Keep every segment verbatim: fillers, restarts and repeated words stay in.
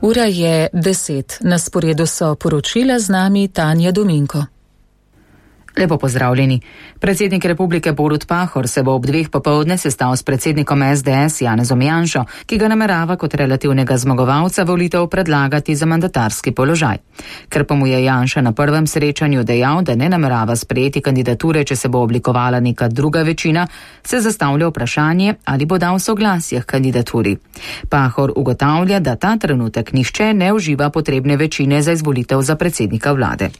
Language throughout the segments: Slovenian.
Ura je deset, na sporedu so poročila, z nami Tanja Dominko. Lepo pozdravljeni. Predsednik Republike Borut Pahor se bo ob dveh popoldne sestal s predsednikom es de es Janezom Janšo, ki ga namerava kot relativnega zmagovalca volitev predlagati za mandatarski položaj. Ker pa mu je Janša na prvem srečanju dejal, da ne namerava sprejeti kandidature, če se bo oblikovala neka druga večina, se zastavlja vprašanje, ali bo dal soglasje k kandidaturi. Pahor ugotavlja, da ta trenutek nihče ne uživa potrebne večine za izvolitev za predsednika vlade.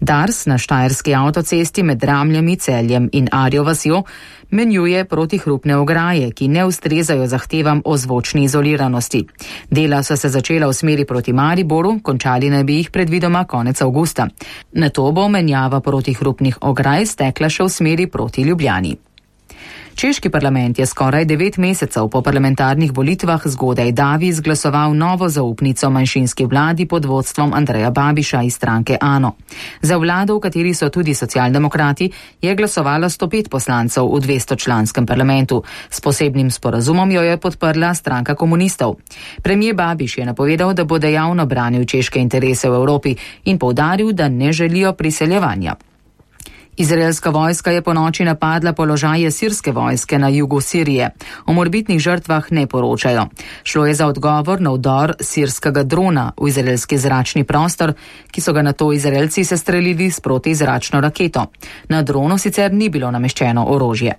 Dars na štajerski avtocesti med Ramljami, Celjem in Arjo vasjo menjuje protihrupne ograje, ki ne ustrezajo zahtevam o zvočni izoliranosti. Dela so se začela v smeri proti Mariboru, končali naj bi jih predvidoma konec avgusta. Nato bo menjava protihrupnih ograj stekla še v smeri proti Ljubljani. Češki parlament je skoraj devet mesecev po parlamentarnih volitvah zgodaj davi izglasoval novo zaupnico manjšinski vladi pod vodstvom Andreja Babiša iz stranke ANO. Za vlado, v kateri so tudi socialdemokrati, je glasovalo sto pet poslancev v dvestočlanskem parlamentu. S posebnim sporazumom jo je podprla stranka komunistov. Premijer Babiš je napovedal, da bo dejavno branil češke interese v Evropi in poudaril, da ne želijo priseljevanja. Izraelska vojska je ponoči napadla položaje sirske vojske na jugu Sirije. O morebitnih žrtvah ne poročajo. Šlo je za odgovor na vdor sirskega drona v izraelski zračni prostor, ki so ga nato Izraelci sestrelili s protizračno raketo. Na dronu sicer ni bilo nameščeno orožje.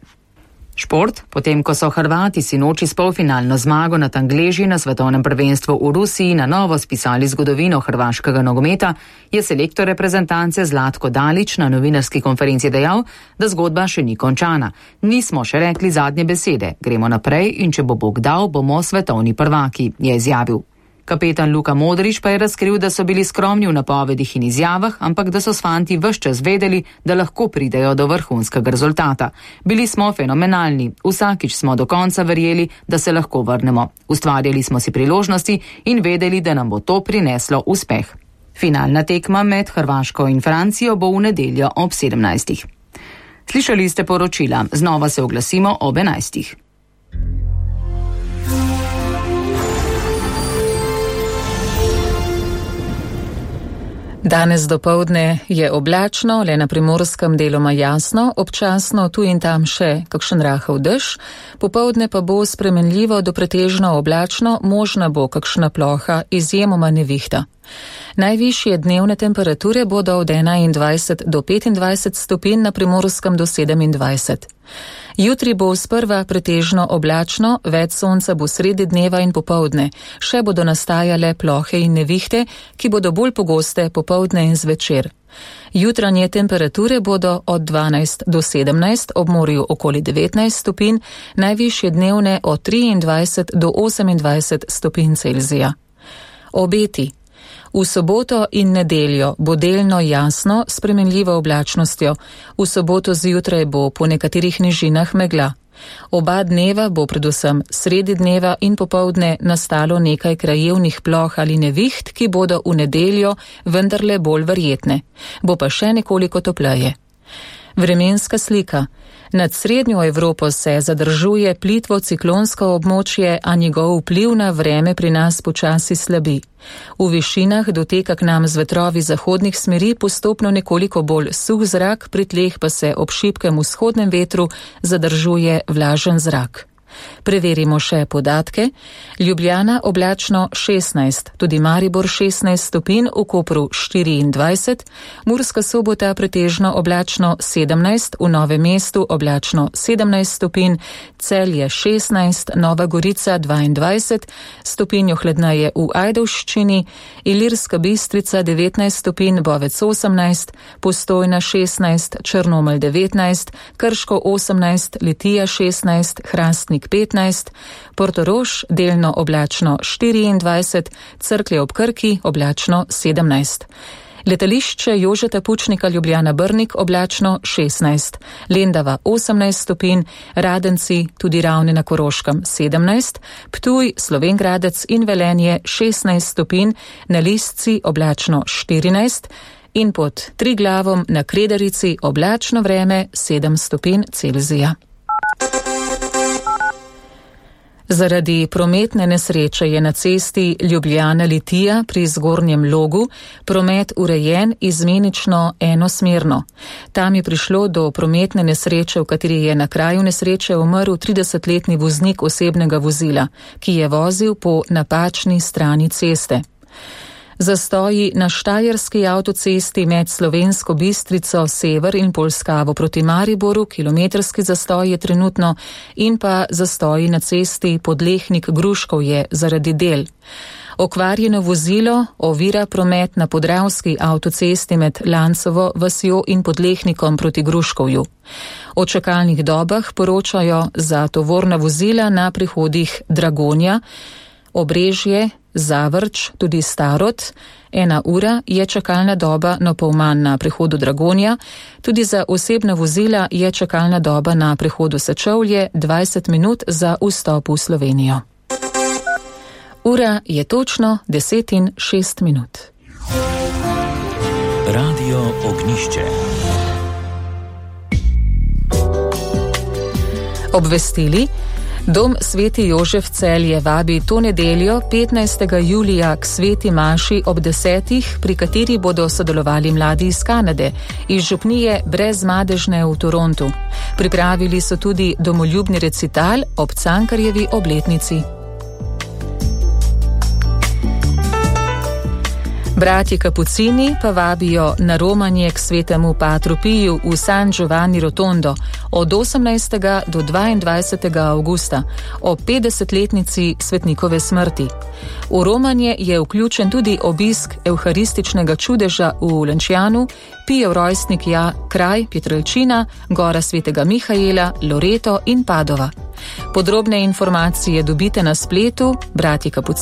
Šport, potem ko so Hrvati sinoči s polfinalno zmago nad Angleži na svetovnem prvenstvu v Rusiji na novo spisali zgodovino hrvaškega nogometa, je selektor reprezentance Zlatko Dalić na novinarski konferenci dejal, da zgodba še ni končana. Nismo še rekli zadnje besede, gremo naprej in če bo Bog dal, bomo svetovni prvaki, je izjavil. Kapetan Luka Modrić pa je razkril, da so bili skromni v napovedih in izjavah, ampak da so s fanti ves čas vedeli, da lahko pridejo do vrhunskega rezultata. Bili smo fenomenalni, vsakič smo do konca verjeli, da se lahko vrnemo. Ustvarjali smo si priložnosti in vedeli, da nam bo to prineslo uspeh. Finalna tekma med Hrvaško in Francijo bo v nedeljo ob sedemnajstih. Slišali ste poročila, znova se oglasimo ob enajstih. Danes dopoldne je oblačno, le na primorskem deloma jasno, občasno tu in tam še kakšen rahel dež, popoldne pa bo spremenljivo do pretežno oblačno, možna bo kakšna ploha, izjemoma nevihta. Najvišje dnevne temperature bodo od enaindvajset do petindvajset stopinj, na primorskem do sedemindvajset. Jutri bo sprva pretežno oblačno, več sonca bo sredi dneva in popoldne. Še bodo nastajale plohe in nevihte, ki bodo bolj pogoste popoldne in zvečer. Jutranje temperature bodo od dvanajst do sedemnajst, ob morju okoli devetnajst stopinj, najvišje dnevne od triindvajset do osemindvajset stopinj Celzija. Obeti. V soboto in nedeljo bo delno jasno, spremenljivo oblačnostjo. V soboto zjutraj bo po nekaterih nižinah megla. Oba dneva bo predvsem sredi dneva in popoldne nastalo nekaj krajevnih ploh ali neviht, ki bodo v nedeljo vendarle bolj verjetne. Bo pa še nekoliko topleje. Vremenska slika. Nad srednjo Evropo se zadržuje plitvo ciklonsko območje, a njegov vpliv na vreme pri nas počasi slabi. V višinah doteka k nam z vetrovi zahodnih smeri postopno nekoliko bolj suh zrak, pri tleh pa se ob šibkem vzhodnem vetru zadržuje vlažen zrak. Preverimo še podatke. Ljubljana oblačno šestnajst, tudi Maribor šestnajst stopinj, v Kopru štiriindvajset, Murska Sobota pretežno oblačno sedemnajst, v Novem mestu oblačno sedemnajst stopinj, Celje šestnajst, Nova Gorica dvaindvajset, stopinjo hladneje v Ajdovščini, Ilirska Bistrica devetnajst stopinj, Bovec osemnajst, Postojna šestnajst, Črnomelj devetnajst, Krško osemnajst, Litija šestnajst, Hrastnik petnajst, Portorož delno oblačno štiriindvajset, Cerklje ob Krki oblačno sedemnajst. Letališče Jožeta Pučnika Ljubljana Brnik oblačno šestnajst, Lendava osemnajst stopinj, Radenci, tudi Ravne na Koroškem sedemnajst, Ptuj, Slovenj Gradec in Velenje šestnajst stopinj, na Listci oblačno štirinajst in pod Triglavom na Kredarici oblačno vreme sedem stopinj Celzija. Zaradi prometne nesreče je na cesti Ljubljana-Litija pri Zgornjem Logu promet urejen izmenično enosmerno. Tam je prišlo do prometne nesreče, v kateri je na kraju nesreče umrl tridesetletni voznik osebnega vozila, ki je vozil po napačni strani ceste. Zastoji na štajerski avtocesti med Slovensko Bistrico, Sever in Polskavo proti Mariboru, kilometrski zastoj je trenutno, in pa zastoji na cesti Podlehnik-Gruškovje zaradi del. Okvarjeno vozilo ovira promet na podravski avtocesti med Lancovo vasjo in Podlehnikom proti Gruškovju. O čakalnih dobah poročajo za tovorna vozila na prehodih Dragonja, Obrežje, Zavrč, tudi Starod. Ena ura je čakalna doba na Polman na prehodu Dragonja, tudi za osebna vozila je čakalna doba na prehodu Sečovlje dvajset minut za vstop v Slovenijo. Ura je točno deset in šest minut. Radio Ognjišče. Obvestili. Dom Sveti Jožef Celje vabi to nedeljo, petnajstega julija, k sveti maši ob desetih, pri kateri bodo sodelovali mladi iz Kanade, iz župnije Brezmadežne v Torontu. Pripravili so tudi domoljubni recital ob Cankarjevi obletnici. Bratji Kapucini pa vabijo na romanje k svetemu Patru Piju v San Giovanni Rotondo od osemnajstega do dvaindvajsetega avgusta ob petdesetletnici svetnikove smrti. V romanje je vključen tudi obisk evharističnega čudeža v Lancianu, Pijev rojstnik ja, kraj Pietrelcina, gora svetega Mihaela, Loreto in Padova. Podrobne informacije dobite na spletu Bratji Kapucini.